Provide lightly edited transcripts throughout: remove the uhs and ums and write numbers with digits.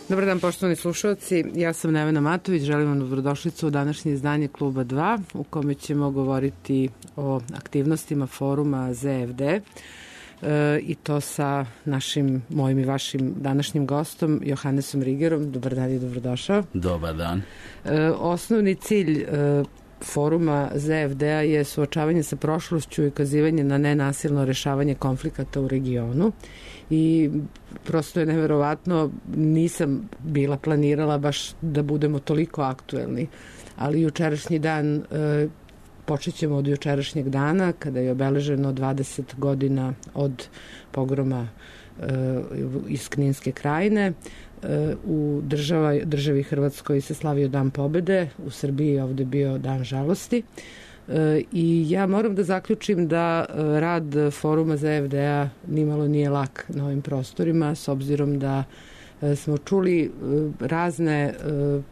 Dobar dan, poštovani slušalci. Ja sam Nevena Matović, želim vam dobrodošlicu u današnje izdanje Kluba 2, u kome ćemo govoriti o aktivnostima foruma ZFD i to sa mojim i vašim današnjim gostom, Johannesom Rigerom. Dobar dan i dobrodošao. Dobar dan. Osnovni cilj foruma ZFD-a je suočavanje sa prošlošću i ukazivanje na nenasilno rešavanje konflikata u regionu. I prosto je neverovatno, nisam bila planirala baš da budemo toliko aktuelni, ali jučerašnji dan, počet ćemo od jučerašnjeg dana kada je obeleženo 20 godina od pogroma iz Kninske krajine. U državi Hrvatskoj se slavio Dan pobede, u Srbiji je ovde bio Dan žalosti. I ja moram da zaključim da rad foruma ZFD-a nimalo nije lak na ovim prostorima, s obzirom da smo čuli razne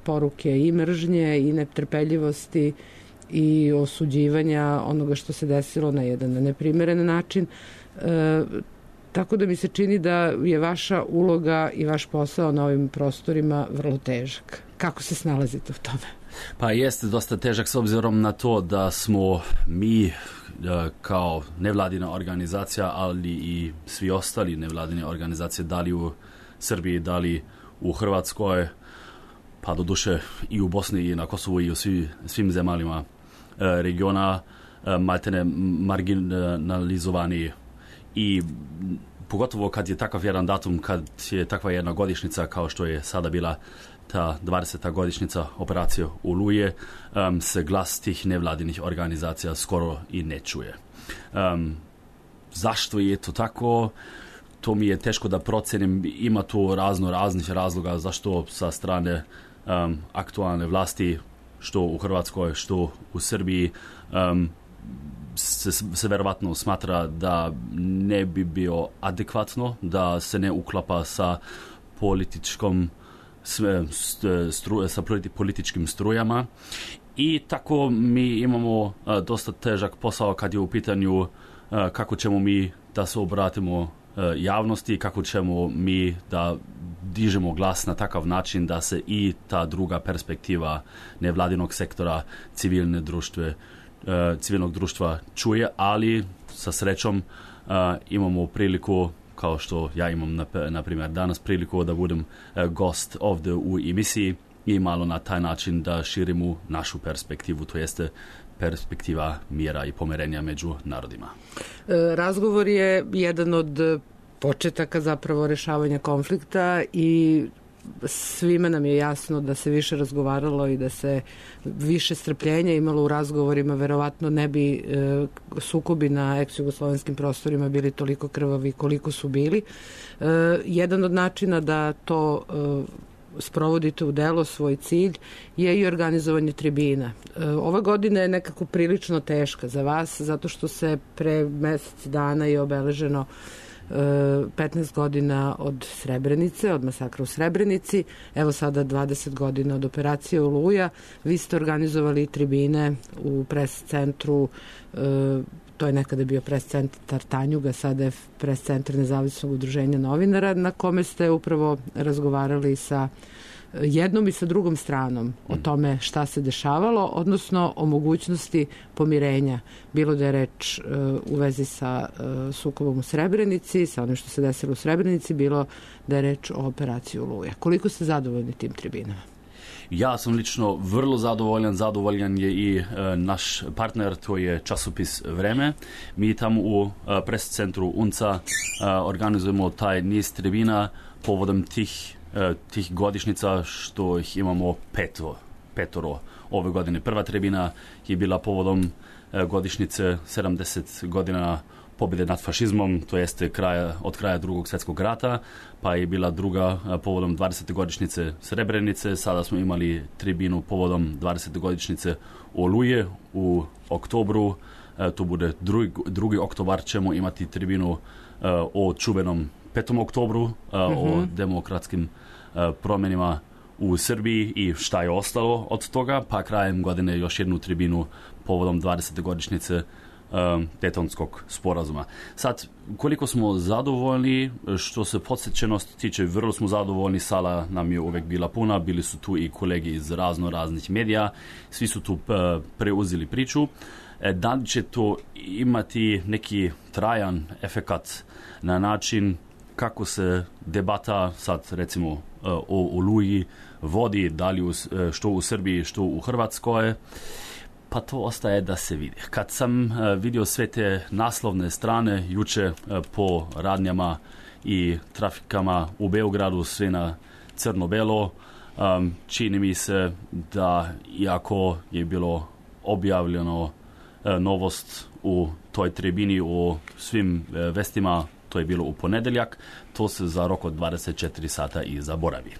poruke i mržnje i netrpeljivosti i osuđivanja onoga što se desilo na jedan neprimeren način. Tako da mi se čini da je vaša uloga i vaš posao na ovim prostorima vrlo težak. Kako se snalazite u tome? Pa jeste dosta težak s obzirom na to da smo mi kao nevladina organizacija, ali i svi ostali nevladine organizacije, da li u Srbiji, da li u Hrvatskoj, pa doduše i u Bosni i na Kosovu i u svim zemalima regiona, maltene marginalizovani. I pogotovo kad je takav jedan datum, kad je takva jedna godišnjica kao što je sada bila ta 20. godišnjica operacije Oluje, se glas tih nevladinih organizacija skoro i ne čuje. Zašto je to tako? To mi je teško da procenim. Ima tu raznih razloga zašto sa strane aktualne vlasti, što u Hrvatskoj, što u Srbiji, se verovatno smatra da ne bi bio adekvatno, da se ne uklapa sa političkim strujama. I tako mi imamo dosta težak posao kad je u pitanju kako ćemo mi da se obratimo javnosti, kako ćemo mi da dižemo glas na takav način da se i ta druga perspektiva nevladinog sektora, civilnog društva čuje, ali sa srećom imamo priliku, kao što ja imam na primjer danas priliku da budem gost ovdje u emisiji i malo na taj način da širimo našu perspektivu, to jeste perspektiva mira i pomirenja među narodima. Razgovor je jedan od početaka zapravo rešavanja konflikta i svima nam je jasno da se više razgovaralo i da se više strpljenja imalo u razgovorima, verovatno ne bi sukobi na ex-jugoslovenskim prostorima bili toliko krvavi koliko su bili. Jedan od načina da to sprovodite u delo, svoj cilj, je i organizovanje tribina. Ova godina je nekako prilično teška za vas, zato što se pre mesec dana je obeleženo 15 godina od Srebrenice, od masakra u Srebrenici, evo sada 20 godina od operacije Oluja. Vi ste organizovali tribine u pres centru, to je nekada bio pres centar Tanjuga, sada je pres centar Nezavisnog udruženja novinara, na kome ste upravo razgovarali sa jednom i sa drugom stranom o tome šta se dešavalo, odnosno o mogućnosti pomirenja. Bilo da je reč u vezi sa sukobom u Srebrenici, sa onim što se desilo u Srebrenici, bilo da je reč o operaciji Oluja. Koliko ste zadovoljni tim tribinama? Ja sam lično vrlo zadovoljan je i naš partner, to je časopis Vreme. Mi tamo u pres centru UNCA organizujemo taj niz tribina povodom tih godišnjica, što ih imamo petoro ove godine. Prva tribina je bila povodom godišnjice 70 godina pobjede nad fašizmom, to jeste od kraja Drugog svjetskog rata, pa je bila druga povodom 20. godišnjice Srebrenice. Sada smo imali tribinu povodom 20. godišnjice Oluje u oktobru. To bude 2. oktobar, ćemo imati tribinu o čuvenom 5. oktobru, o demokratskim promjenima u Srbiji i šta je ostalo od toga, pa krajem godine još jednu tribinu povodom 20. godišnjice Daytonskog sporazuma. Sad, koliko smo zadovoljni, što se podsjećenosti tiče, vrlo smo zadovoljni, sala nam je uvek bila puna, bili su tu i kolegi iz raznih medija, svi su tu preuzeli priču. Da li će to imati neki trajan efekat na način kako se debata sad recimo o Oluji vodi, da li što u Srbiji, što u Hrvatskoj, pa to ostaje da se vidi. Kad sam vidio sve te naslovne strane juče po radnjama i trafikama u Beogradu, sve na crno-belo, čini mi se da iako je bilo objavljeno novost u toj tribini u svim vestima, to je bilo u ponedeljak, to se za rok od 24 sata i zaboravi.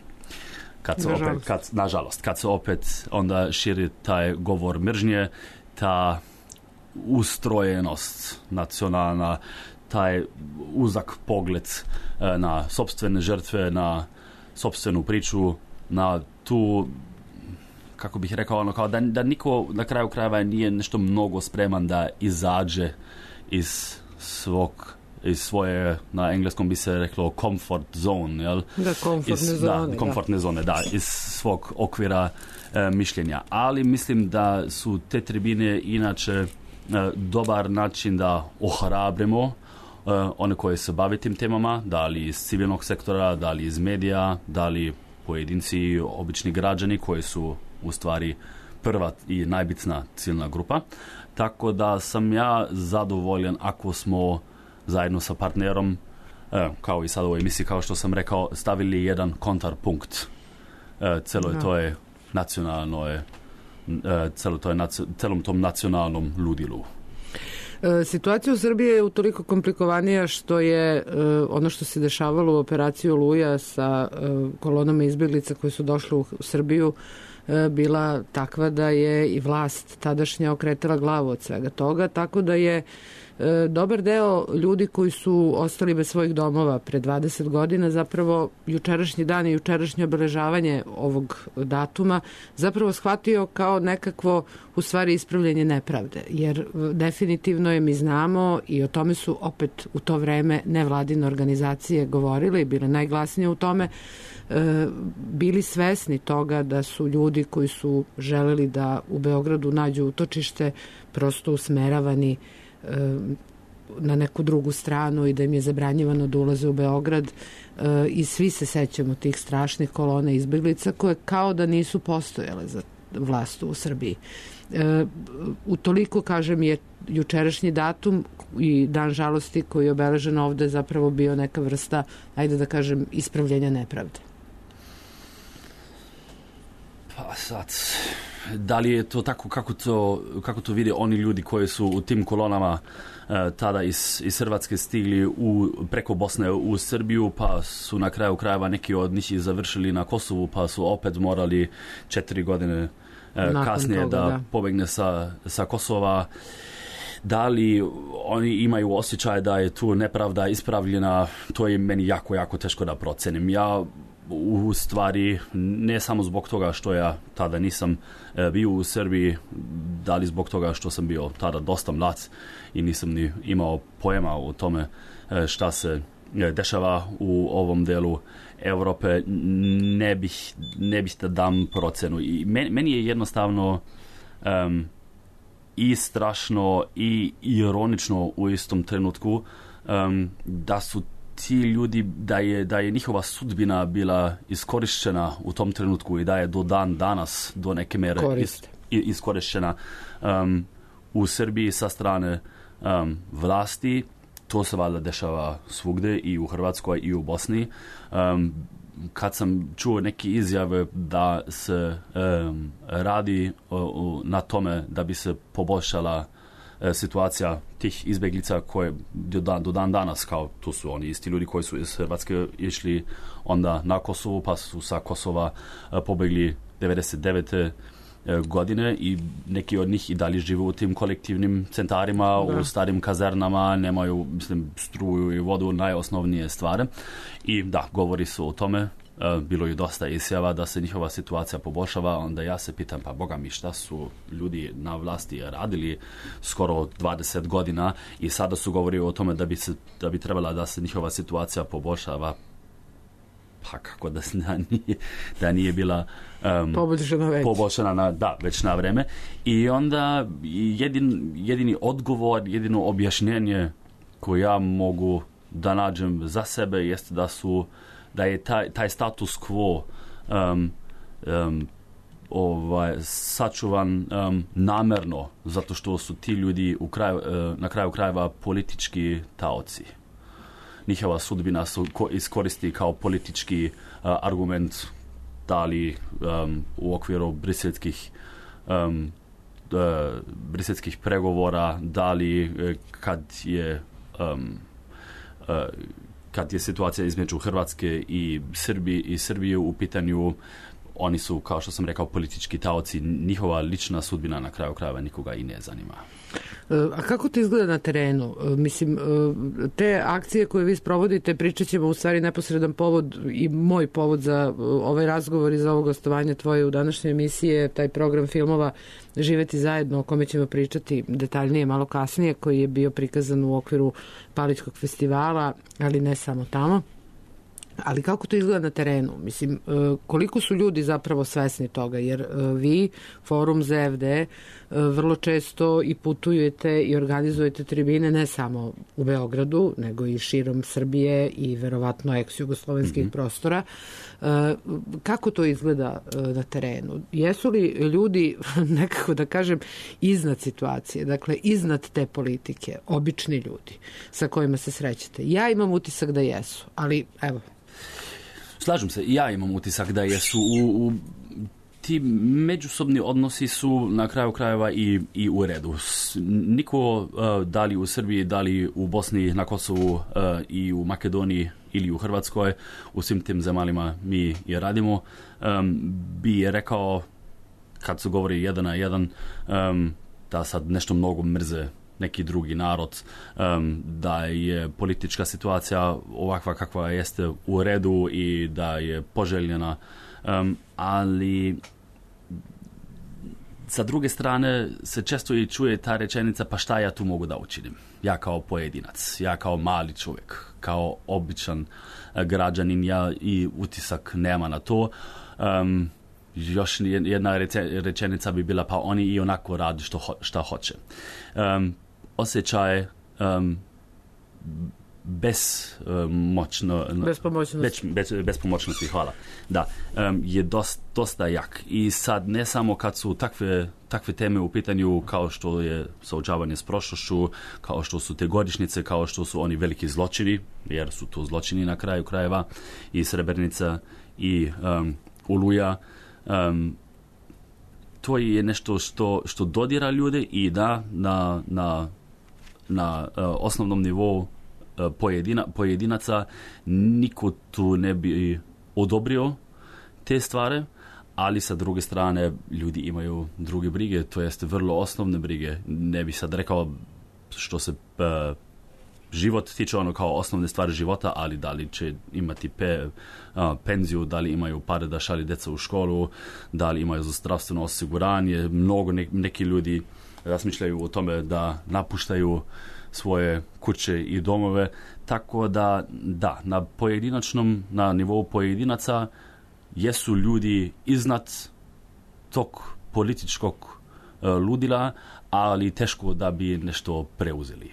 Nažalost, kad se opet onda širi taj govor mržnje, ta ustrojenost nacionalna, taj uzak pogled na sopstvene žrtve, na sopstvenu priču, na tu, kako bih rekao, kao da niko na kraju krajeva nije nešto mnogo spreman da izađe iz svoje, na engleskom bi se reklo comfort zone, jel? Komfortne zone, iz svog okvira mišljenja. Ali mislim da su te tribine inače dobar način da ohrabrimo one koji se bave tim temama, da li iz civilnog sektora, da li iz medija, da li pojedinci, obični građani koji su u stvari prva i najbitna ciljna grupa. Tako da sam ja zadovoljan ako smo zajedno sa partnerom, kao i sad u ovoj emisiji, kao što sam rekao, stavili jedan kontrapunkt celom tom nacionalnom ludilu. Situacija u Srbiji je utoliko komplikovanija što je ono što se dešavalo u operaciji Oluja sa kolonama izbjeglica koji su došli u Srbiju bila takva da je i vlast tadašnja okretala glavu od svega toga, tako da je dobar deo ljudi koji su ostali bez svojih domova pre 20 godina, zapravo jučerašnji dan i jučerašnje obeležavanje ovog datuma zapravo shvatio kao nekakvo u stvari ispravljanje nepravde, jer definitivno je, mi znamo i o tome su opet u to vreme nevladine organizacije govorile i bile najglasnije u tome, bili svesni toga da su ljudi koji su želeli da u Beogradu nađu utočište prosto usmeravani na neku drugu stranu i da im je zabranjivano da ulaze u Beograd i svi se sećamo tih strašnih kolona izbjeglica koje kao da nisu postojale za vlast u Srbiji. Utoliko, kažem, je jučerašnji datum i dan žalosti koji je obeležen ovde zapravo bio neka vrsta, ajde da kažem, ispravljenja nepravde. Pa sad, da li je to tako kako to vide oni ljudi koji su u tim kolonama tada iz Hrvatske stigli preko Bosne u Srbiju, pa su na kraju krajeva neki od njih završili na Kosovu, pa su opet morali 4 godine kasnije toga, da pobegne sa Kosova. Da li oni imaju osjećaj da je tu nepravda ispravljena, to je meni jako, jako teško da procenim. Ja u stvari, ne samo zbog toga što ja tada nisam bio u Srbiji, da li zbog toga što sam bio tada dosta mlad i nisam ni imao pojma o tome šta se dešava u ovom delu Evrope, ne bih da dam procenu. I meni je jednostavno i strašno i ironično u istom trenutku da su ti ljudi, da je njihova sudbina bila iskorišćena u tom trenutku i da je do dan danas do neke mere iskorišćena u Srbiji sa strane vlasti. To se valjda dešava svugde, i u Hrvatskoj i u Bosni. Kad sam čuo neke izjave da se radi na tome da bi se poboljšala situacija tih izbjeglica koje do dan danas, kao tu su oni isti ljudi koji su iz Hrvatske išli onda na Kosovu, pa su sa Kosova pobegli 99. godine i neki od njih i dalje žive u tim kolektivnim centarima, u starim kazernama, nemaju, struju i vodu, najosnovnije stvari. I govori se o tome bilo je dosta izjava da se njihova situacija poboljšava, onda ja se pitam, pa boga mi, šta su ljudi na vlasti radili skoro 20 godina i sada su govorili o tome da bi trebala da se njihova situacija poboljšava, pa kako da nije bila poboljšana već na vreme. I onda jedini odgovor, jedino objašnjenje koje ja mogu da nađem za sebe jeste da je taj status quo sačuvan namerno, zato što su ti ljudi na kraju krajeva politički taoci. Njihova sudbina su iskoristi kao politički argument, da li u okviru briselskih pregovora, da li kad je situacija između Hrvatske i Srbije u pitanju, oni su, kao što sam rekao, politički taoci. Njihova lična sudbina na kraju krajeva nikoga i ne zanima. A kako to izgleda na terenu? Mislim, te akcije koje vi sprovodite, pričat ćemo u stvari neposredan povod i moj povod za ovaj razgovor i za ovo gostovanje tvoje u današnjoj emisiji, taj program filmova Živeti zajedno, o kome ćemo pričati detaljnije malo kasnije, koji je bio prikazan u okviru Palićkog festivala, ali ne samo tamo. Ali kako to izgleda na terenu? Mislim, koliko su ljudi zapravo svesni toga? Jer vi, Forum ZFD, vrlo često i putujete i organizujete tribine ne samo u Beogradu, nego i širom Srbije i verovatno ex-jugoslovenskih prostora. Kako to izgleda na terenu? Jesu li ljudi, nekako da kažem, iznad situacije, dakle iznad te politike, obični ljudi sa kojima se srećete? Ja imam utisak da jesu, ali evo. Slažem se, ja imam utisak da jesu ti međusobni odnosi su na kraju krajeva i u redu. Niko, da li u Srbiji, da li u Bosni, na Kosovu i u Makedoniji ili u Hrvatskoj, u svim tim zemalima mi je radimo, bi rekao, kad se govori jedan na jedan, da sad nešto mnogo mrze neki drugi narod, da je politička situacija ovakva kakva jeste u redu i da je poželjena, ali sa druge strane se često i čuje ta rečenica, pa šta ja tu mogu da učinim? Ja kao pojedinac, ja kao mali čovjek, kao običan građanin, ja i utisak nema na to. Još jedna rečenica bi bila, pa oni i onako radi šta hoće. Osjećaj bespomoćnosti, hvala. Da, je dosta jak. I sad ne samo kad su takve teme u pitanju kao što je suočavanje s prošlošću, kao što su te godišnjice, kao što su oni veliki zločini, jer su to zločini na kraju krajeva, i Srebrenica i Oluja. To je nešto što dodira ljude i da na osnovnom nivou pojedinaca niko tu ne bi odobrio te stvari, ali sa druge strane ljudi imaju druge brige, to jest vrlo osnovne brige. Ne bi sad rekao što se život tiče, ono kao osnovne stvari života, ali da li će imati penziju, da li imaju pare da šalju djeca u školu, da li imaju za zdravstveno osiguranje. Mnogo neki ljudi razmišljaju o tome da napuštaju svoje kuće i domove, tako da na nivou pojedinaca jesu ljudi iznad tog političkog ludila, ali teško da bi nešto preuzeli.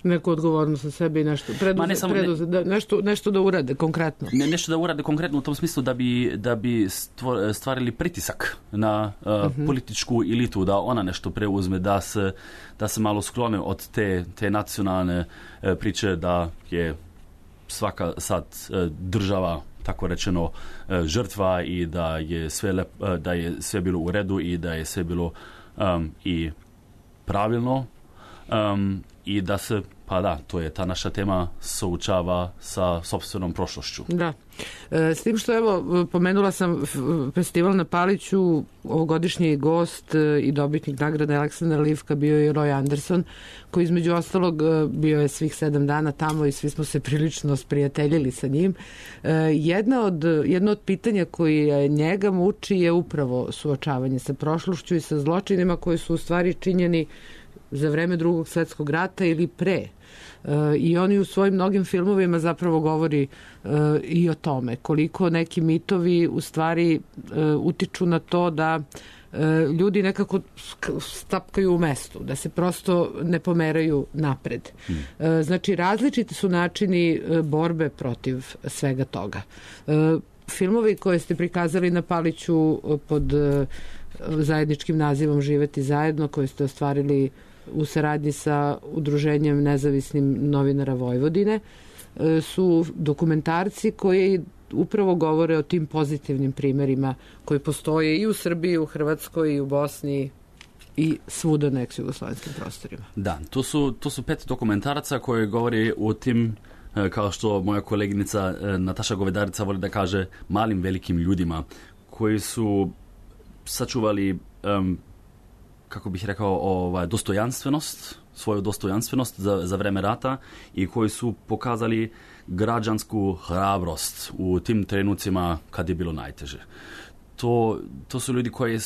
Neku odgovornost na sebi i nešto nešto da urade konkretno. Nešto da urade konkretno u tom smislu da bi stvarili pritisak na političku elitu, da ona nešto preuzme, da se malo sklone od te nacionalne priče da je svaka sad država, tako rečeno, žrtva i da je sve bilo u redu i da je sve bilo i pravilno, i da se pa da, to je ta naša tema, součava sa sopstvenom prošlošću. Da. S tim što, evo, pomenula sam festival na Paliću, ovogodišnji gost i dobitnik nagrade Aleksandar Livka bio je Roy Anderson, koji između ostalog bio je svih 7 dana tamo i svi smo se prilično sprijateljili sa njim. Jedno od pitanja koji njega muči je upravo suočavanje sa prošlošću i sa zločinima koji su u stvari činjeni za vreme Drugog svjetskog rata ili pre. I oni u svojim mnogim filmovima zapravo govori i o tome koliko neki mitovi u stvari utiču na to da ljudi nekako stapkaju u mestu, da se prosto ne pomeraju napred. Znači, različiti su načini borbe protiv svega toga. Filmovi koje ste prikazali na Paliću pod zajedničkim nazivom Živeti zajedno, koje ste ostvarili u saradnji sa Udruženjem nezavisnim novinara Vojvodine, su dokumentarci koji upravo govore o tim pozitivnim primerima koji postoje i u Srbiji, i u Hrvatskoj, i u Bosni i svuda na ex-jugoslavenskim prostorima. Da, to su 5 dokumentaraca koji govori o tim, kao što moja koleginica Nataša Govedarica voli da kaže, malim velikim ljudima koji su sačuvali kako bih rekao, svoju dostojanstvenost za vreme rata i koji su pokazali građansku hrabrost u tim trenucima kad je bilo najteže. To su ljudi koji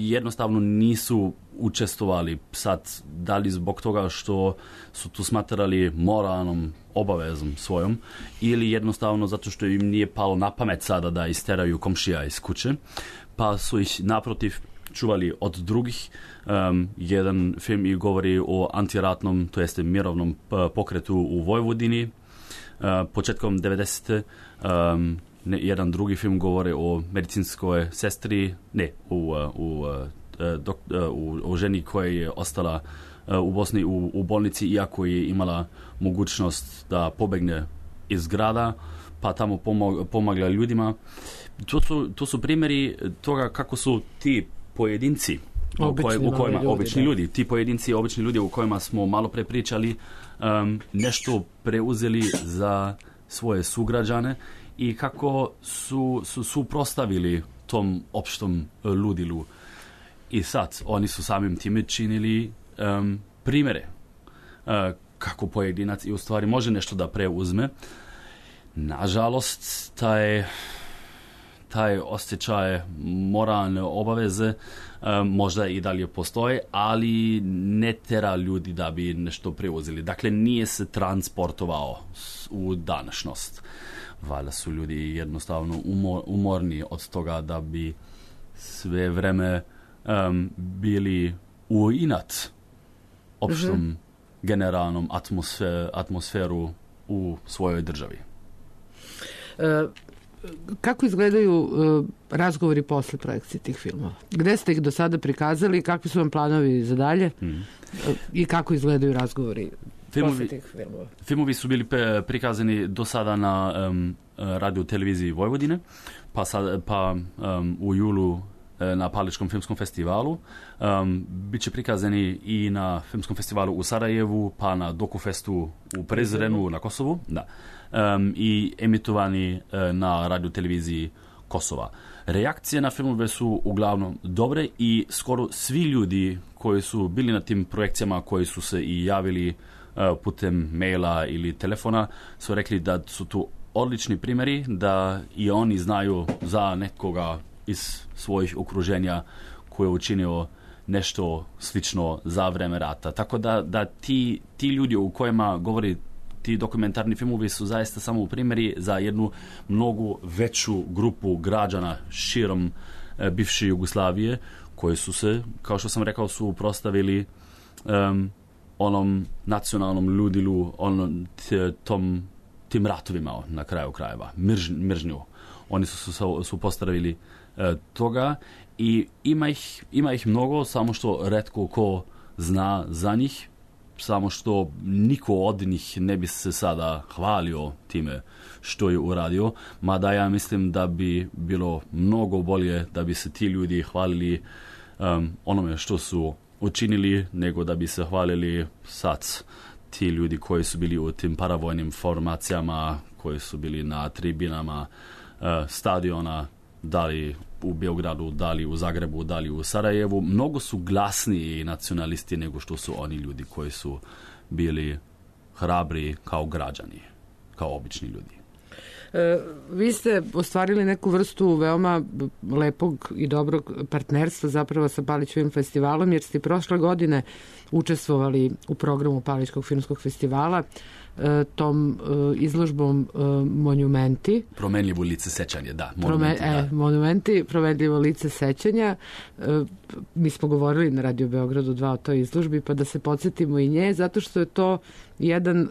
jednostavno nisu učestvovali sad, da li zbog toga što su tu smatrali moralnom obavezom svojom ili jednostavno zato što im nije palo na pamet sada da isteraju komšija iz kuće, pa su ih naprotiv čuvali od drugih. Jedan film i govori o antiratnom, to jeste mirovnom pokretu u Vojvodini početkom 90. Jedan drugi film govori o medicinskoj sestri, o ženi koja je ostala u Bosni u bolnici, iako je imala mogućnost da pobegne iz grada, pa tamo pomagala ljudima. To su primjeri toga kako su ti pojedinci, obični ljudi, ti pojedinci, obični ljudi u kojima smo malo pre pričali, nešto preuzeli za svoje sugrađane i kako su suprotstavili tom opštom ludilu. I sad, oni su samim time činili primjere kako pojedinac i u stvari može nešto da preuzme. Nažalost, taj osjećaj moralne obaveze možda i dalje postoji, ali ne tera ljudi da bi nešto preuzeli. Dakle, nije se transportovao u današnjost. Valjda su ljudi jednostavno umorni od toga da bi sve vreme bili u inat opštom generalnom atmosferu u svojoj državi. Kako izgledaju razgovori posle projekcije tih filmova? Gde ste ih do sada prikazali, kakvi su vam planovi za dalje i kako izgledaju razgovori posle tih filmova? Filmovi su bili prikazani do sada na radio televiziji Vojvodine, pa u julu na Paličkom filmskom festivalu. Biće prikazani i na filmskom festivalu u Sarajevu, pa na Dokufestu u Prizrenu na Kosovu. Da. I emitovani na radio televiziji Kosova. Reakcije na filmove su uglavnom dobre i skoro svi ljudi koji su bili na tim projekcijama, koji su se i javili putem maila ili telefona, su rekli da su tu odlični primjeri, da i oni znaju za nekoga iz svojih okruženja koji je učinio nešto slično za vreme rata. Tako da ti ljudi u kojima govori ti dokumentarni filmovi su zaista samo primjeri za jednu mnogo veću grupu građana širom bivše Jugoslavije koji su se, kao što sam rekao, suprotstavili onom nacionalnom ludilu, tim ratovima na kraju krajeva, mržnju. Oni su suprotstavili toga i ima ih mnogo, samo što retko ko zna za njih, samo što niko od njih ne bi se sada hvalio time što je uradio, mada ja mislim da bi bilo mnogo bolje da bi se ti ljudi hvalili onome što su učinili, nego da bi se hvalili sad ti ljudi koji su bili u tim paravojnim formacijama, koji su bili na tribinama stadiona, da li u Beogradu, da li u Zagrebu, da li u Sarajevu, mnogo su glasniji nacionalisti nego što su oni ljudi koji su bili hrabri kao građani, kao obični ljudi. Vi ste ostvarili neku vrstu veoma lepog i dobrog partnerstva zapravo sa Palićevim festivalom, jer ste prošle godine učestvovali u programu Palićkog filmskog festivala tom izložbom Monumenti. Promenljivo lice sećanja, da. Monumenti, promenljivo lice sećanja. Mi smo govorili na Radio Beogradu 2 o toj izložbi, pa da se podsjetimo i nje, zato što je to jedan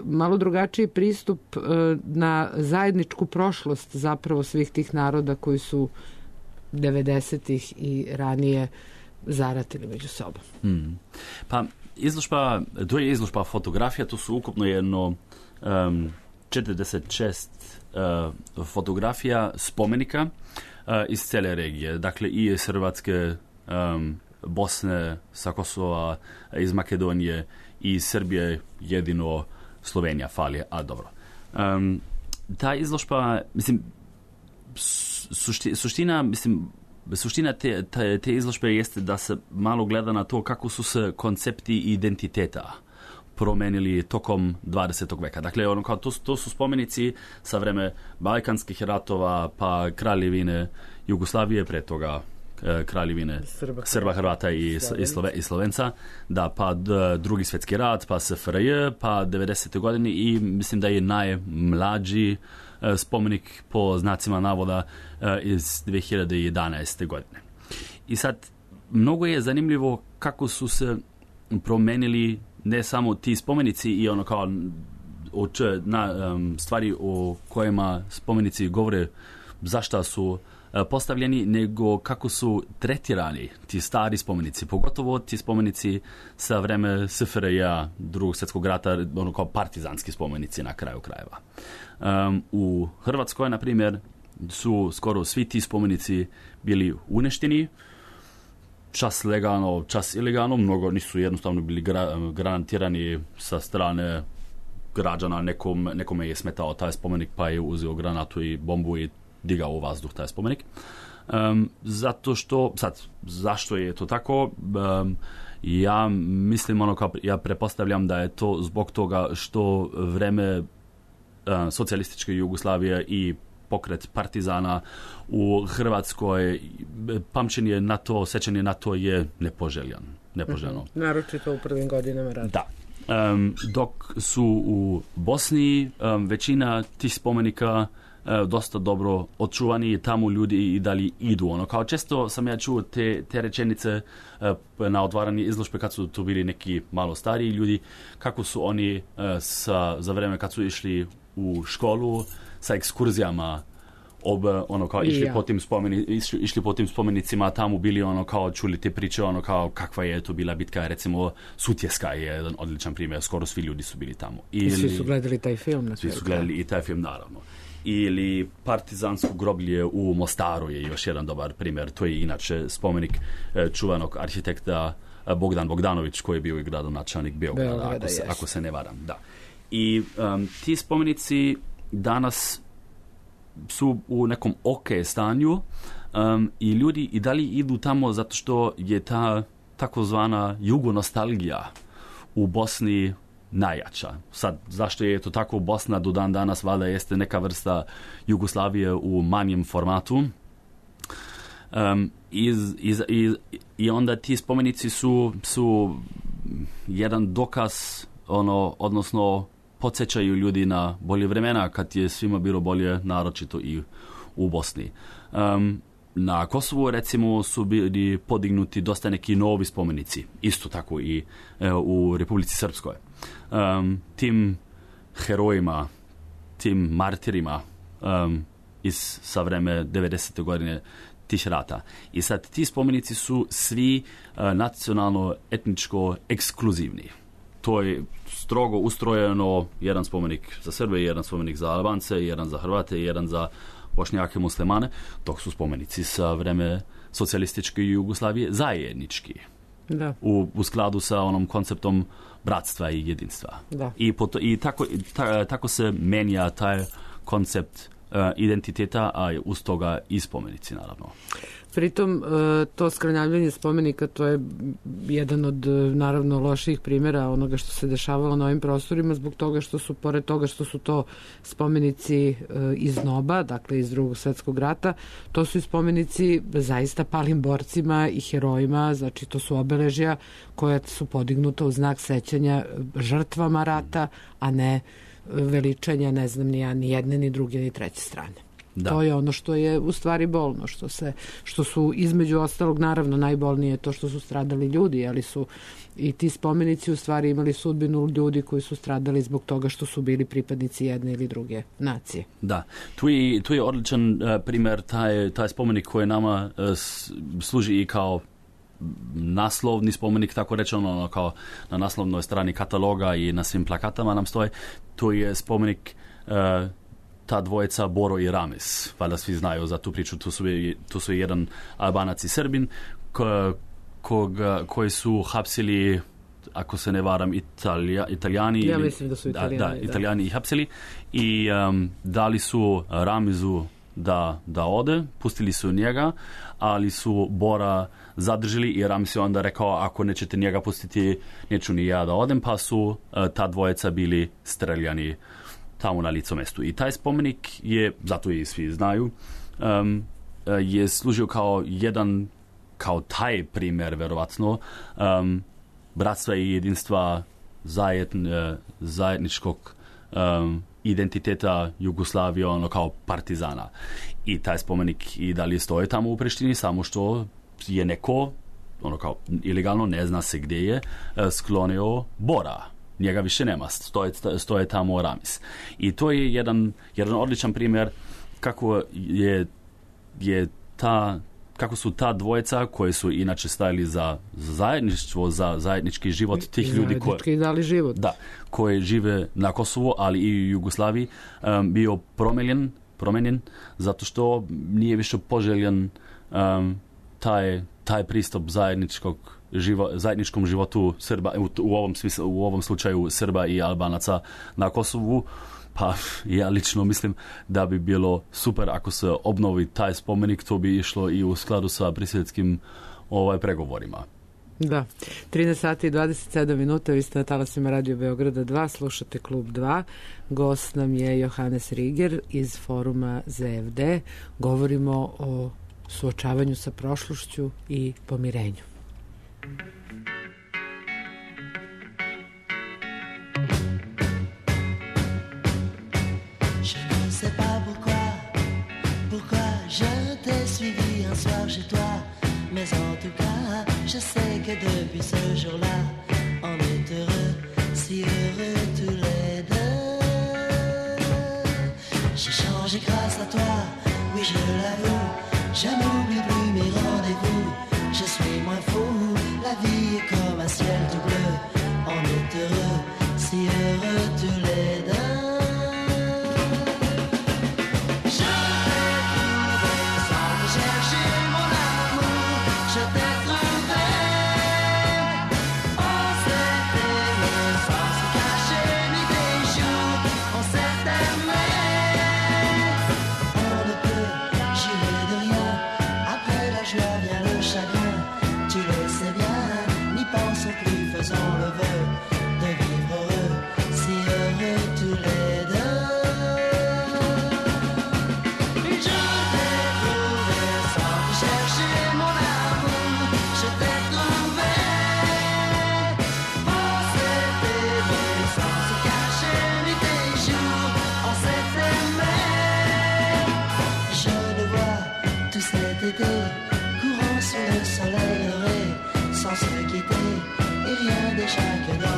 malo drugačiji pristup na zajedničku prošlost zapravo svih tih naroda koji su 90-ih i ranije zaratili među sobom. Pa izložba, to je izložba fotografija, to su ukupno jedno 46 fotografija spomenika iz cele regije, dakle i iz Hrvatske, Bosne, sa Kosova, iz Makedonije i iz Srbije, jedino Slovenija fali, a dobro. Ta izložba, mislim, suština te izložbe jeste da se malo gleda na to kako su se koncepti identiteta promenili tokom 20. veka. Dakle, to su spomenici sa vreme Balkanskih ratova, pa kraljevine Jugoslavije, pre toga kraljevine Srba, Hrvata i Slovenca, da, pa drugi svjetski rat, pa SFRJ, pa 90. godine i mislim da je najmlađi spomenik po znacima navoda iz 2011. godine. I sad, mnogo je zanimljivo kako su se promenili ne samo ti spomenici i kao stvari o kojima spomenici govore zašto su postavljeni, nego kako su tretirani ti stari spomenici, pogotovo ti spomenici sa vreme SFRJ-a, drugog svjetskog rata, kao partizanski spomenici na kraju krajeva. U Hrvatskoj, na primjer, su skoro svi ti spomenici bili uništeni, čas legalno, čas ilegalno, mnogo nisu jednostavno bili granatirani sa strane građana, nekome je smetao taj spomenik pa je uzeo granatu i bombu i digao u vazduh taj spomenik. Zato što, zašto je to tako? Ja mislim, ja prepostavljam da je to zbog toga što vreme socijalističke Jugoslavije i pokret partizana u Hrvatskoj, pamćenje na to, sećanje na to je nepoželjno. Naročito u prvim godinama rata. Da. Dok su u Bosni većina tih spomenika dosta dobro očuvani i tamo ljudi i dalje idu. Kao često sam ja čuo te rečenice na otvaranje izložbe kad su tu bili neki malo stariji ljudi, kako su oni za vreme kad su išli u školu sa ekskurzijama išli po tim spomenicima, tamo bili kao čuli te priče, kao kakva je to bila bitka, recimo Sutjeska je jedan odličan primjer, skoro svi ljudi su bili tamo. I svi su gledali taj film. Svi su gledali i taj film, naravno. Ili partizansko groblje u Mostaru je još jedan dobar primjer. To je inače spomenik čuvanog arhitekta Bogdan Bogdanović, koji je bio i gradonačelnik Beograda, ako se ne varam. Da. I ti spomenici danas su u nekom stanju i ljudi i dalje idu tamo zato što je ta takozvana jugonostalgija u Bosni najjača. Sad, zašto je to tako? Bosna do dan danas valjda jeste neka vrsta Jugoslavije u manjem formatu. I onda ti spomenici su jedan dokaz, odnosno podsjećaju ljudi na bolje vremena kad je svima bilo bolje, naročito i u Bosni. Na Kosovu, recimo, su bili podignuti dosta neki novi spomenici, isto tako i u Republici Srpskoj. Tim herojima, tim martirima sa vreme 90. godine tih rata. I sad ti spomenici su svi nacionalno-etničko ekskluzivni. To je strogo ustrojeno, jedan spomenik za Srbe, jedan spomenik za Albance, jedan za Hrvate, jedan za Bošnjake, muslimane, dok su spomenici sa vreme socijalističke Jugoslavije zajednički. u skladu sa onom konceptom bratstva i jedinstva. Da. I tako se menja taj koncept identiteta, a uz toga i spomenici, naravno. Pritom, to skrnavljanje spomenika, to je jedan od, naravno, loših primjera onoga što se dešavalo na ovim prostorima, zbog toga što su, pored toga što su to spomenici iz NOB-a, dakle iz Drugog svetskog rata, to su i spomenici zaista palim borcima i herojima, znači to su obeležja koja su podignuta u znak sećanja žrtvama rata, a ne veličanja, ne znam, ni jedne, ni druge, ni treće strane. Da. To je ono što je u stvari bolno, što su između ostalog, naravno najbolnije to što su stradali ljudi, ali su i ti spomenici u stvari imali sudbinu ljudi koji su stradali zbog toga što su bili pripadnici jedne ili druge nacije. Da, tu je odličan primjer taj spomenik koji nama služi i kao naslovni spomenik, tako rečeno, kao na naslovnoj strani kataloga i na svim plakatama nam stoji. To je spomenik ta dvojica Boro i Ramis. Valjda svi znaju za tu priču. Tu su jedan Albanac i Srbin koji su hapsili, ako se ne varam, Italijani. Ja mislim da su Italijani. Italijani ih hapsili i dali su Ramizu da ode, pustili su njega, ali su Bora zadržili i Ramis je onda rekao, ako nećete njega pustiti, neću ni ja da odem, pa su ta dvojica bili streljani tamo na licu mestu. I taj spomenik je, zato i svi znaju, je služio kao taj primjer, verovatno, bratstva i jedinstva zajedničkog identiteta Jugoslavije, ono kao partizana. I taj spomenik i dalje stoji tamo u Prištini, samo što je neko, ono kao ilegalno, ne zna se gdje je, sklonio Bora. Njega više nema, stoje tamo Ramis. I to je jedan odličan primjer kako kako su ta dvojica koji su inače stajali za zajedništvo, za zajednički život tih ljudi koji žive na Kosovu, ali i u Jugoslaviji, bio promijenjen zato što nije više poželjen taj pristup zajedničkom životu Srba, u ovom slučaju Srba i Albanaca na Kosovu. Pa ja lično mislim da bi bilo super ako se obnovi taj spomenik, to bi išlo i u skladu sa briselskim pregovorima. Da, 13 sati i 27 minuta, vi ste na talasima Radio Beograda 2, slušate Klub 2, gost nam je Johannes Riger iz foruma ZFD, govorimo o suočavanju sa prošlošću i pomirenju. Je t'ai suivi un soir chez toi, mais en tout cas, je sais que depuis ce jour-là, on est heureux, si heureux tous les deux. J'ai changé grâce à toi, oui je l'avoue, je n'oublie plus mes rendez-vous, je suis moins fou, la vie est comme un ciel tout bleu, on est heureux, si heureux tous les deux. Courant sous le soleil heureux, sans se quitter, et rien déjà que dans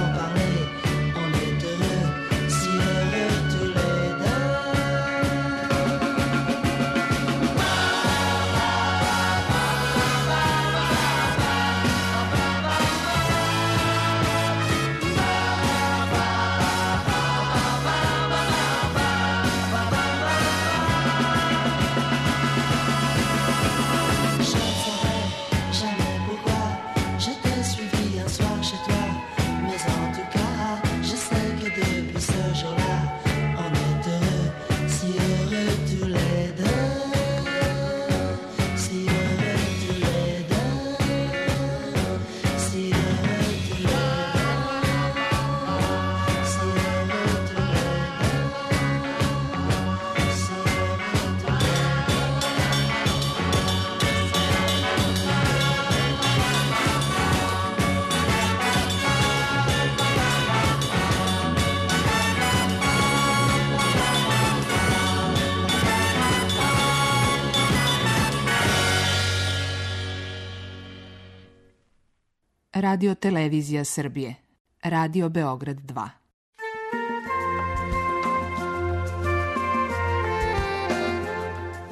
Radio Televizija Srbije. Radio Beograd 2.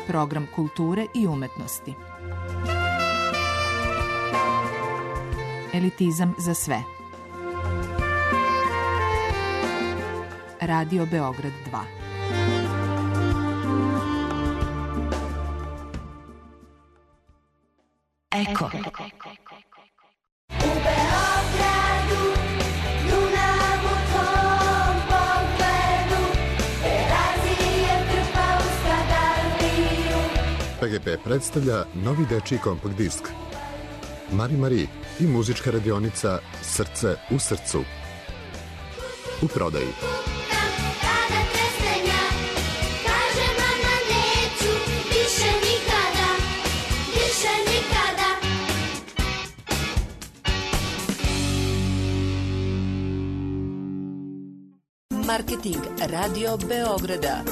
Program kulture i umetnosti. Elitizam za sve. Radio Beograd 2. Eko. PGP predstavlja novi dečiji kompakt disk Mari Mari i muzička radionica Srce u srcu. U prodaji. Kada trestenja, kaže mama neću, više nikada, više nikada. Marketing Radio Beograda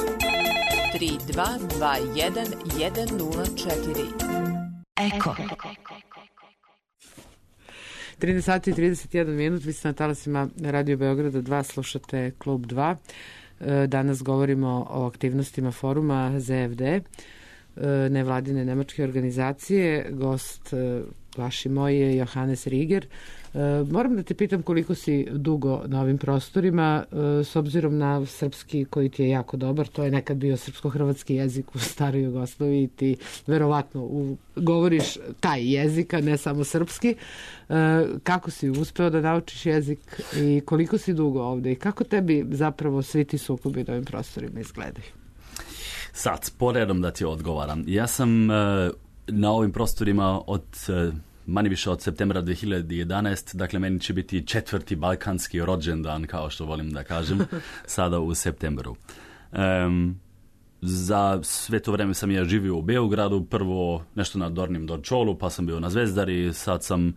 3221 Eko. 13 sati i 31 minut, vi ste na talasima Radio Beograda 2, slušate Klub 2. Danas govorimo o aktivnostima foruma ZFD, nevladine nemačke organizacije. Gost vaš i moj je Johannes Riger. Moram da te pitam koliko si dugo na ovim prostorima, s obzirom na srpski koji ti je jako dobar, to je nekad bio srpsko-hrvatski jezik u staroj Jugoslaviji, ti verovatno govoriš taj jezik, a ne samo srpski. Kako si uspeo da naučiš jezik i koliko si dugo ovde i kako tebi zapravo svi ti sukobi na ovim prostorima izgledaju? Sad, poredom da ti odgovaram. Ja sam na ovim prostorima od manje više od septembra 2011, dakle meni će biti 4. balkanski rođendan, kao što volim da kažem, sada u septembru. Za sve to vreme sam ja živio u Beogradu, prvo nešto na Dornjem Dorčolu, pa sam bio na Zvezdari, sad sam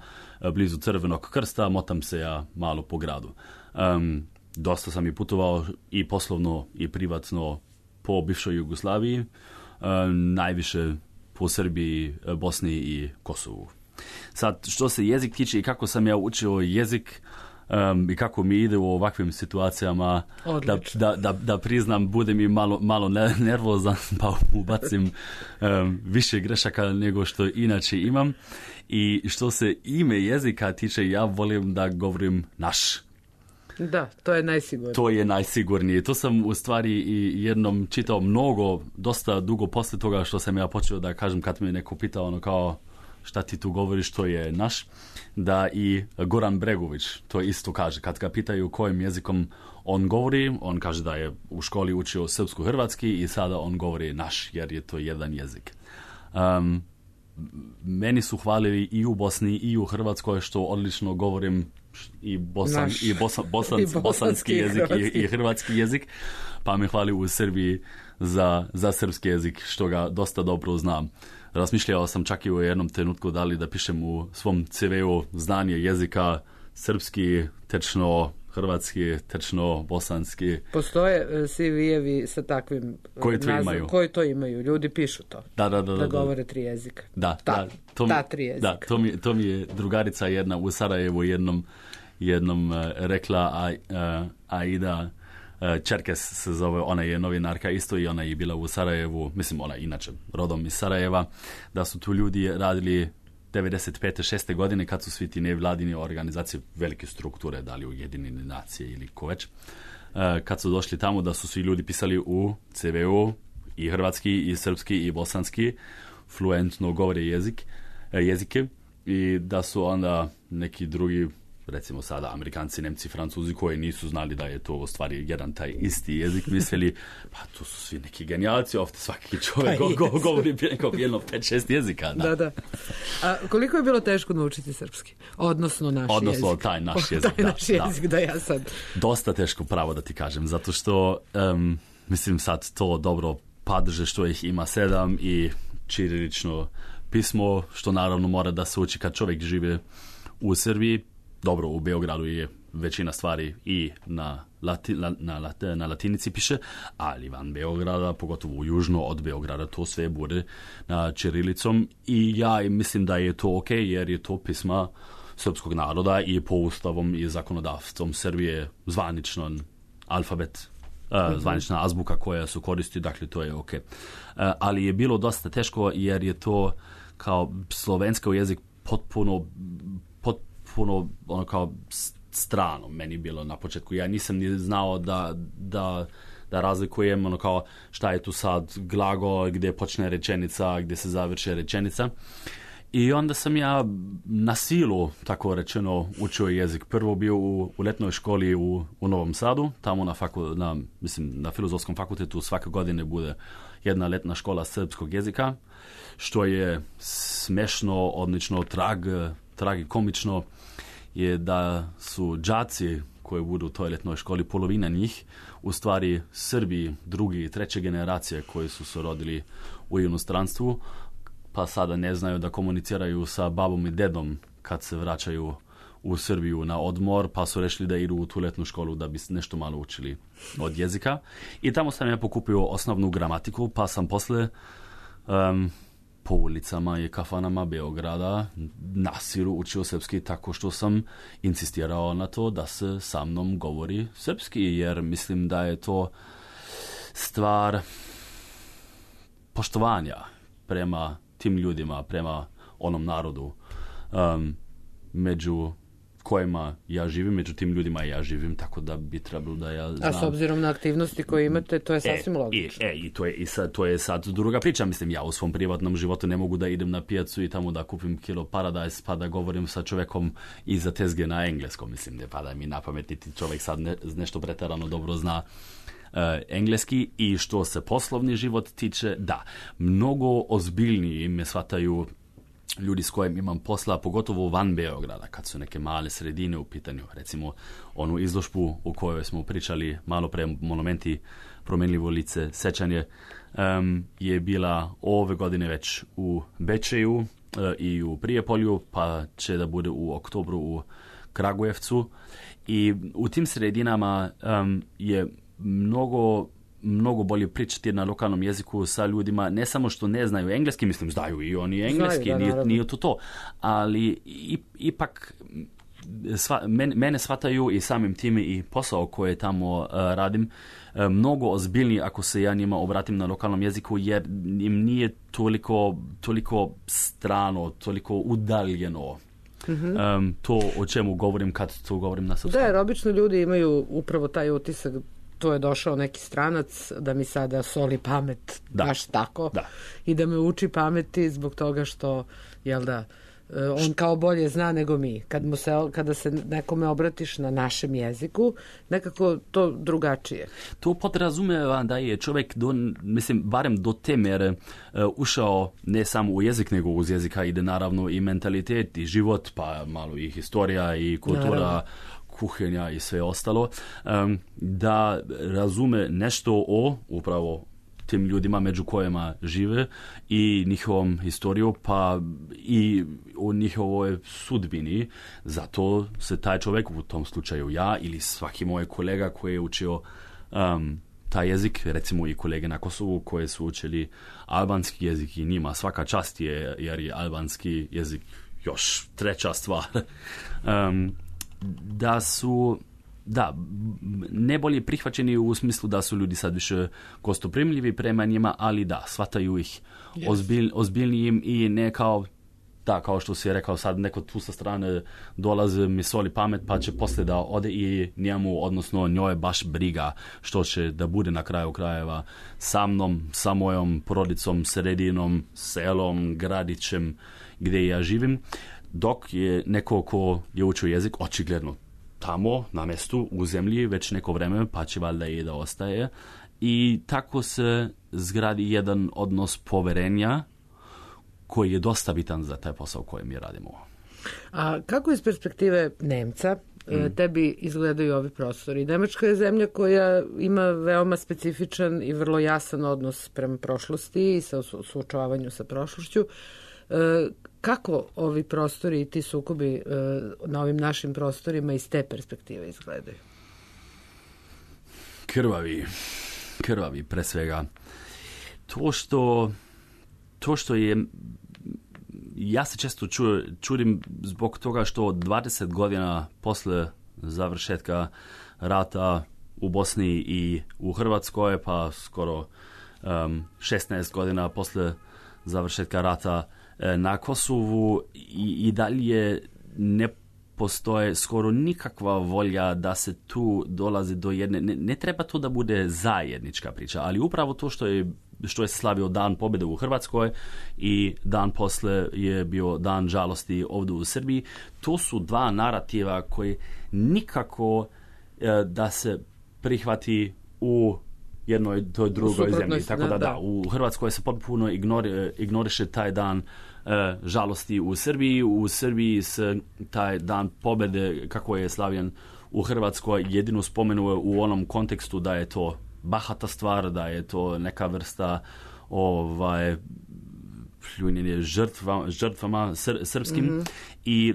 blizu Crvenog krsta, motam se ja malo po gradu. Dosta sam i putovao i poslovno i privatno po bivšoj Jugoslaviji, najviše po Srbiji, Bosni i Kosovu. Sad, što se jezik tiče i kako sam ja učio jezik i kako mi ide u ovakvim situacijama, da priznam, bude mi malo nervozan, pa ubacim više grešaka nego što inače imam. I što se ime jezika tiče, ja volim da govorim naš. Da, to je najsigurnije. To je najsigurnije. To sam u stvari i jednom čitao dosta dugo posle toga što sam ja počeo da kažem kad me neko pitao kao šta ti tu govoriš, to je naš, da i Goran Bregović to isto kaže. Kad ga pitaju kojim jezikom on govori, on kaže da je u školi učio srpsko-hrvatski i sada on govori naš, jer je to jedan jezik. Meni su hvalili i u Bosni i u Hrvatskoj što odlično govorim i bosanski jezik i hrvatski jezik, pa me hvali u Srbiji za srpski jezik, što ga dosta dobro znam. Razmišljao sam čak i u jednom trenutku da li da pišem u svom CV-u znanje jezika srpski, tečno hrvatski, tečno bosanski. Postoje CV-evi sa takvim nazivom koji to imaju. Ljudi pišu to. Da govore 3 jezika. Da, 3 jezika. Da, to mi je drugarica jedna u Sarajevu jednom rekla, Aida Čerkes se zove, ona je novinarka isto i ona je bila u Sarajevu, mislim ona inače rodom iz Sarajeva, da su tu ljudi radili 95. 6. godine kad su svi ti nevladini organizacije, velike strukture, da li Ujedinjene nacije ili ko već, kad su došli tamo da su svi ljudi pisali u CV-u i hrvatski i srpski i bosanski, fluentno govore jezike i da su onda neki drugi, recimo sada Amerikanci, Nemci, Francuzi koji nisu znali da je to u stvari jedan taj isti jezik, mislili pa tu su svi neki genijalci, ovdje svaki čovjek govori jedno 5-6 jezika. Da. A koliko je bilo teško naučiti srpski? Odnosno naš jezik. Taj naš jezik. Da ja sad. Dosta teško, pravo da ti kažem, zato što mislim sad to dobro padrže što ih ima 7 i ćirilično pismo, što naravno mora da se uči kad čovjek žive u Srbiji. Dobro, u Beogradu je većina stvari i na latinici piše, ali van Beograda, pogotovo južno od Beograda, to sve bude na ćirilicom i ja mislim da je to ok, jer je to pisma srpskog naroda i po ustavom i zakonodavstvom Srbije zvaničan alfabet, zvanična azbuka koja su koristi, dakle to je ok. Ali je bilo dosta teško jer je to kao slovenski jezik potpuno ono kao strano meni bilo na početku. Ja nisam ni znao da razlikujem ono kao šta je tu sad glagol, gdje počne rečenica, gdje se završi rečenica. I onda sam ja na silu, tako rečeno, učio jezik. Prvo bio u letnoj školi u Novom Sadu, tamo na Filozofskom fakultetu svake godine bude jedna letna škola srpskog jezika, što je smešno, odlično, tragikomično je da su đaci koji budu u toj letnoj školi, polovina njih, u stvari Srbi, drugi i treće generacije koji su se rodili u inostranstvu, pa sada ne znaju da komuniciraju sa babom i dedom kad se vraćaju u Srbiju na odmor, pa su rešili da idu u tu letnu školu da bi nešto malo učili od jezika. I tamo sam ja pokupio osnovnu gramatiku, pa sam posle po ulicama i kafanama Beograda na silu učio srpski tako što sam insistirao na to da se sa mnom govori srpski, jer mislim da je to stvar poštovanja prema tim ljudima, prema onom narodu među kojima ja živim, među tim ljudima ja živim, tako da bi trebalo da ja znam. A s obzirom na aktivnosti koje imate, to je sasvim logično. I to je sad druga priča. Mislim, ja u svom privatnom životu ne mogu da idem na pijacu i tamo da kupim kilo paradajz pa da govorim sa čovekom iza tezge na engleskom. Mislim, ne pada mi na pamet, niti čovek sad nešto preterano dobro zna engleski. I što se poslovni život tiče, da, mnogo ozbiljniji me shvataju ljudi s kojim imam posla, pogotovo van Beograda, kad su neke male sredine u pitanju. Recimo, onu izložbu u kojoj smo pričali malo pre, monumenti promenljivo lice, sećanje, je bila ove godine već u Bečeju i u Prijepolju, pa će da bude u oktobru u Kragujevcu. I u tim sredinama je mnogo bolje pričati na lokalnom jeziku sa ljudima, ne samo što ne znaju engleski, mislim, znaju i oni engleski, nije to, ali ipak mene shvataju i samim time i posao koje tamo radim mnogo ozbiljniji ako se ja njima obratim na lokalnom jeziku, jer im nije toliko strano, toliko udaljeno. To o čemu govorim kad to govorim na srpskom. Da, jer obično ljudi imaju upravo taj utisak, to je došao neki stranac da mi sada soli pamet, baš tako, i da me uči pameti zbog toga što, jel da, on kao bolje zna nego mi. Kada se nekome obratiš na našem jeziku, nekako to drugačije. To podrazumeva da je čovjek, barem do te mere ušao ne samo u jezik, nego uz jezika ide naravno i mentalitet i život, pa malo i historija i kultura, kuhinja i sve ostalo, da razume nešto o upravo tim ljudima među kojima žive i njihovom historiju, pa i o njihovoj sudbini. Zato se taj čovjek, u tom slučaju ja ili svaki moj kolega koji je učio taj jezik, recimo i kolege na Kosovu koji su učili albanski jezik, i njima svaka čast je, jer je albanski jezik još treća stvar. Da su ne bolje prihvaćeni u smislu da su ljudi sad više gostoprimljivi prema njima, ali da, shvataju ih ozbiljnijim i ne kao što si je rekao sad, neko tu sa strane dolaze, mi soli pamet, pa će poslije da ode i njemu, odnosno njoj baš briga što će da bude na kraju krajeva sa mnom, sa mojom porodicom, sredinom, selom, gradićem gdje ja živim. Dok je neko ko je učio jezik, očigledno tamo, na mjestu, u zemlji, već neko vreme, pa će valjda i da ostaje. I tako se zgradi jedan odnos poverenja koji je dosta bitan za taj posao koji mi radimo. A kako iz perspektive Nemca tebi izgledaju ovi prostori? Nemačka je zemlja koja ima veoma specifičan i vrlo jasan odnos prema prošlosti i sa suočavanju sa prošlošću. Kako ovi prostori i ti sukobi na ovim našim prostorima iz te perspektive izgledaju? Krvavi pre svega. To što je ja se često čudim zbog toga što 20 godina posle završetka rata u Bosni i u Hrvatskoj, pa skoro 16 godina posle završetka rata na Kosovu i dalje ne postoje skoro nikakva volja da se tu dolazi do jedne, ne treba to da bude zajednička priča, ali upravo to što je slavio Dan pobjede u Hrvatskoj i dan posle je bio Dan žalosti ovdje u Srbiji, to su dva narativa koji nikako da se prihvati u jednoj toj drugoj zemlji. Tako da, u Hrvatskoj se potpuno ignoriše taj dan žalosti u Srbiji. U Srbiji se taj dan pobjede, kako je slavljen u Hrvatskoj, jedino spomenuje u onom kontekstu da je to bahata stvar, da je to neka vrsta pljunjenje žrtvama srpskim i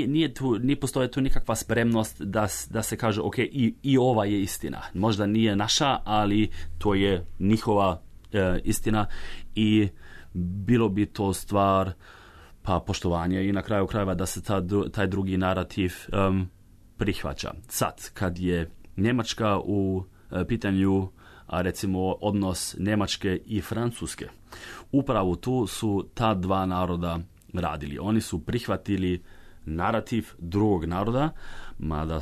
nije postoje tu nikakva spremnost da se kaže ok, i ova je istina. Možda nije naša, ali to je njihova istina i bilo bi to stvar pa poštovanje i na kraju krajeva da se taj drugi narativ prihvaća. Sad, kad je Njemačka u pitanju, a recimo odnos Njemačke i Francuske, upravo tu su ta dva naroda radili. Oni su prihvatili narativ drugog naroda, mada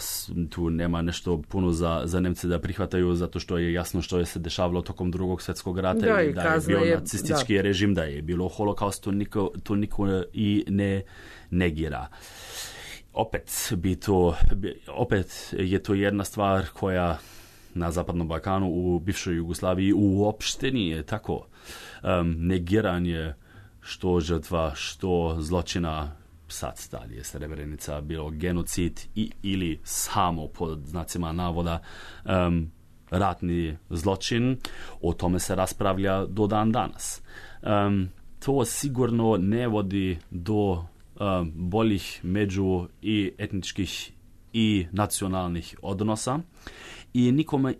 tu nema nešto puno za Nemce da prihvataju, zato što je jasno što je se dešavalo tokom drugog svjetskog rata i da je bio nacistički režim, da je bilo holokaust, to niko i ne negira. Opet je to jedna stvar koja na Zapadnom Balkanu, u bivšoj Jugoslaviji uopšte nije tako. Negiranje što žrtva, što zločina, sad da li je Srebrenica bilo genocid ili samo pod znacima navoda ratni zločin, o tome se raspravlja do dan danas. To sigurno ne vodi do boljih među i etničkih i nacionalnih odnosa i nikome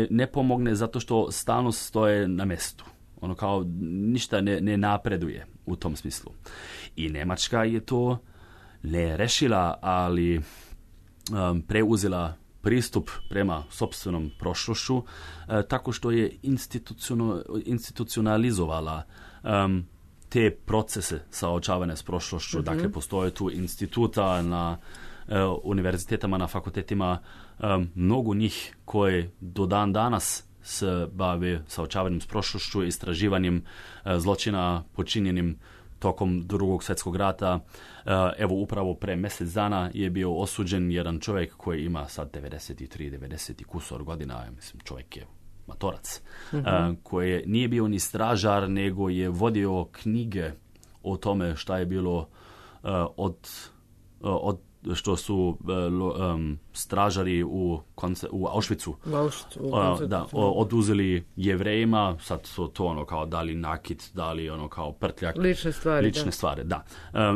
ne pomogne zato što stalno stoje na mjestu. Ono kao ništa ne napreduje u tom smislu. I Njemačka je to ne rešila, ali preuzela pristup prema sopstvenom prošlošću tako što je institucionalizovala te procese saočavanja s prošlošću. Dakle, postoje tu instituta na univerzitetima, na fakultetima, mnogo njih koje do dan danas se bave saočavanjem s prošlošću, istraživanjem zločina počinjenim tokom drugog svjetskog rata. Evo, upravo pre mjesec dana je bio osuđen jedan čovjek koji ima sad 90 kusor godina, mislim, čovjek je matorac, koji nije bio ni stražar, nego je vodio knjige o tome šta je bilo od što su stražari u Auschwitzu oduzeli Jevrejima, sad su to ono kao dali nakit, dali ono kao prtljak. Lične stvari, da.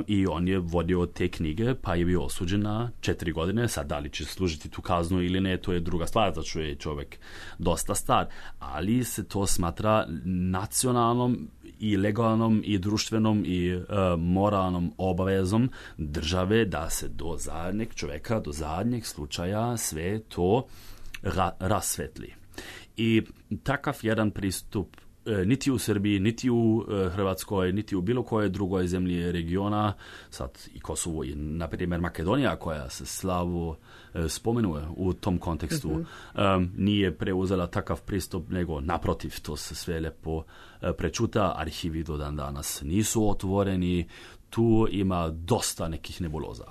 I on je vodio te knjige, pa je bio osuđen na 4 godine. Sad da li će služiti tu kaznu ili ne, to je druga stvar, zato što je čovjek dosta star. Ali se to smatra nacionalnom i legalnom i društvenom i moralnom obavezom države da se do zadnjeg čovjeka, do zadnjeg slučaja sve to rasvetli. I takav jedan pristup niti u Srbiji, niti u Hrvatskoj, niti u bilo kojoj drugoj zemlji regiona, sad i Kosovo i na primjer Makedonija koja se slavu spomenuje u tom kontekstu, nije preuzela takav pristup, nego naprotiv, to se sve lepo prečuta, arhivi do dan danas nisu otvoreni, tu ima dosta nekih nebuloza.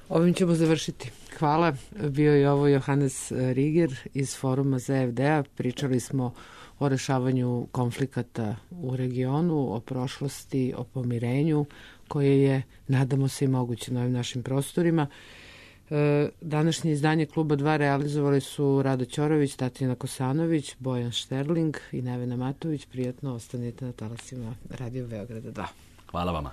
Ovim ćemo završiti. Hvala. Bio je ovo Johannes Riger iz Foruma ZFD-a. Pričali smo o rešavanju konflikata u regionu, o prošlosti, o pomirenju koje je, nadamo se, i moguće na ovim našim prostorima. Današnje izdanje Kluba 2 realizovali su Rado Ćorović, Tatjana Kosanović, Bojan Šterling i Nevena Matović. Prijatno ostanite na talasima Radio Beograda 2. Hvala vama.